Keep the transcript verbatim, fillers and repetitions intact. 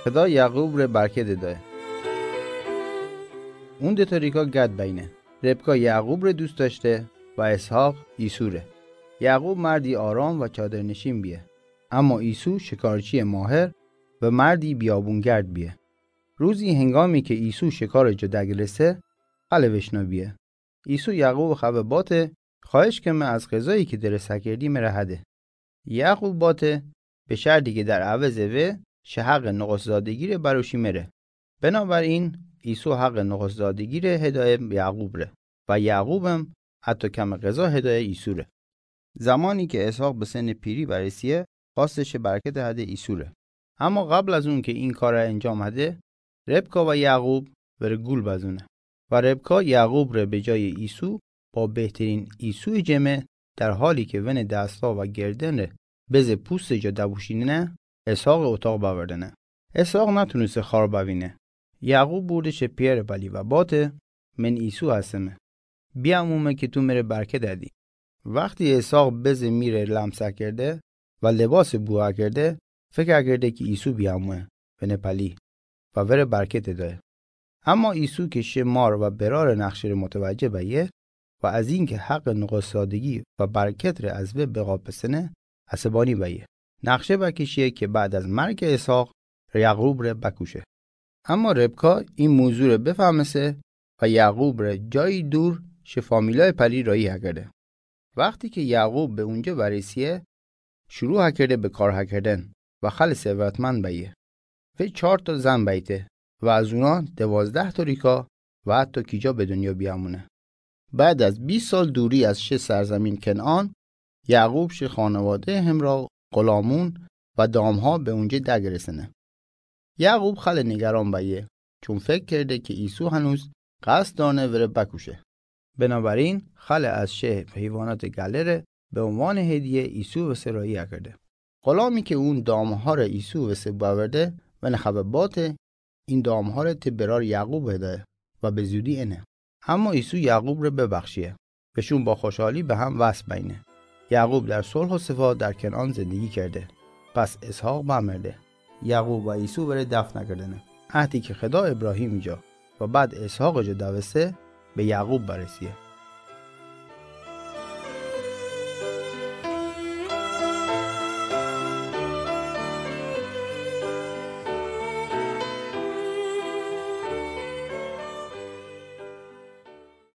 Xheda Yacub re barkete dae. Unde to rika gad baine. Rebka Yacub re dust dashte, va Eshoq Isu re. Yacub mardi aram va chader nishin bie. Ama Isu shikarchi Moher, va mardi biabun gard bie. Ruzi hengami ke Isu shikare ja dagirese, hale veshna bie. Isu Yacub have bate, khoesh keme az ghezai ke dere sakerdi mere hade. Yacub bate, be shardi ke dar aveze ve, she haqe noqosdadegi re barushi mere. Benabarin, Isu haqe noqosdadegi re hedae Yacub re. Va Yacubem, ato kame gheza hedae Isu re. Zamani ke Eshoq besene piri baresiye, khoaste she barkete hade Isu re. Ama qabl az un ke in kare enjam hade, Rebka va Yacub vere gul bazune. Va Rebka Yacub re be jai Isu, ba behterin Isu jeme, dar hali ke vene dasta va gerden re, beze puste ja dabushinene, Eshoq otaq baverdene. Eshoq natunuse khar bavine. Yacub burde she piere pali va bate, men Isu haseme. Biamume ke tu mere barkete hadi. Vaqti Eshoq beze mire lam sakerde, va lebase bu akerde, fek akerde ke Isu biamue, vene pali, va vere barkete dae. Ama Isu ke she mar va berare naqshe re mutavaje baye, va azin ke haqe noqosdadegi va barket re az ve beqapesene, asebani baye. Naqshe va ke shie ke bad az marke Eshoq, Yacub re bakushe. Ama Rebka in muzu re befamese, va Yacub re jai dur she familiae pali rai akerde. Vaqti ke Yacub be unje baresiye, shuru akerde be kar akerden, va khale sevratmand baye. Ve char ta zan baite, va az una dovazdah ta rika, va ato kija be dunya biamune. Bad az bish sal duri az she sarzamin Kenan, Yacub she khanavade hemra ghulamun va damha be unje dagresene. Yacub khale nigaran baye, chun fek kerde ke Isu hanus qasd dane vere bakushe. Benabarin, khale az she heyvanate galere be unvane hediye Isu vese rai akerde. Ghulami ke un damha re Isu vese baverde, vene have bate, in damha re te berar Yacub hedae, va be zudi ene. Ama Isu Yacub re bebakhshiye. Veshun ba khoshali be ham vas baine. Yacub dar sol ha sefa dar Kenan zendegi kerde. Pas Eshoq bamerde. Yacub va Isu vere dafn akerdene. Ahdi ke Kheda Ebrahim ja, va bad Eshoq ja davese, be Yacub baresiye.